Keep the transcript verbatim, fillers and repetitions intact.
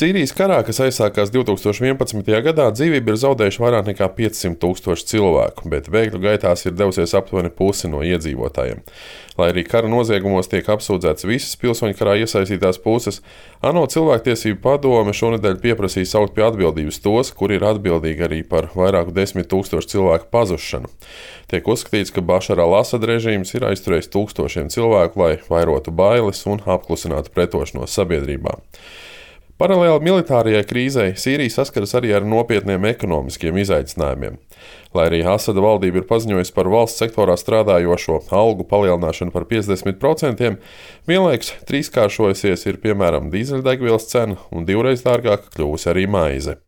Sīrijas karā, kas aizsākās divtūkstoš vienpadsmitajā gadā, dzīvību ir zaudējuši vairāk nekā piecsimt tūkstoši cilvēku, bet bēgļu gaitās ir devusies aptuveni pusi no iedzīvotājiem. Lai arī kara noziegumos tiek apsūdzētas visas pilsoņu karā iesaistītās puses, ANO cilvēktiesību padome šonedēļ pieprasīja saukt pie atbildības tos, kuri ir atbildīgi arī par vairāku desmit tūkstošu cilvēku pazušanu. Tiek uzskatīts, ka Bašara al-Asada režīms ir aizturējis tūkstošiem cilvēku, lai vairotu bailes un apklusinātu pretošanos sabiedrībā. Paralēli militārajai krīzei Sīrija saskaras arī ar nopietniem ekonomiskiem izaicinājumiem. Lai arī Asada valdība ir paziņojusi par valsts sektorā strādājošo algu palielināšanu par piecdesmit procentiem, vienlaikus trīskāršojusies ir piemēram dīzeļdegvielas cena un divreiz dārgāka kļuvusi arī maize.